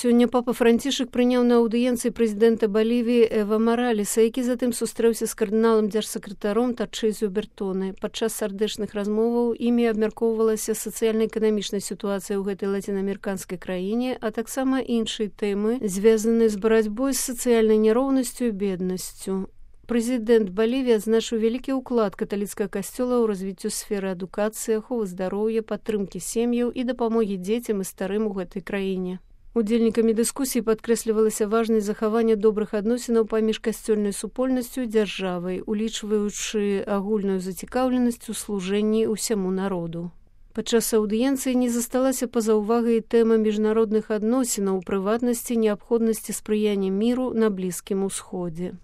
Сёння папа Францішак прыняў на аўдыенцыі прэзідэнта Балівіі Эва Маралеса, які затым сустрэўся з кардыналам дзяржсакратаром Тарчызю Бертоне. Падчас сардэчных размоваў імі абмяркоўвалася сацыяльна-эканамічная сітуацыя ў гэтай лацінаамерыканскай краіне, а таксама іншыя тэмы, звязаныя з барацьбой з сацыяльнай няроўнасцю і беднасцю. Прэзідэнт Балівіі адзначыў вялікі ўклад каталіцкага касцёла ў развіццю сферы адукацыі, аховы здароўя, падтрымкі сем'яў і дапамогі дзецям і старым у гэтай краіне. Удзельнікамі дыскусіі падкрэслівалася важнасць захавання добрых адносінаў паміж касцёльнай супольнасцю і дзяржавай, улічваючы агульную зацікаўленасць у служэнні ўсяму народу. Падчас аўдыенцыі не засталася па-за ўвагай тэма міжнародных адносінаў, у прыватнасці неабходнасці спрыяння міру на Блізкім Усходзе.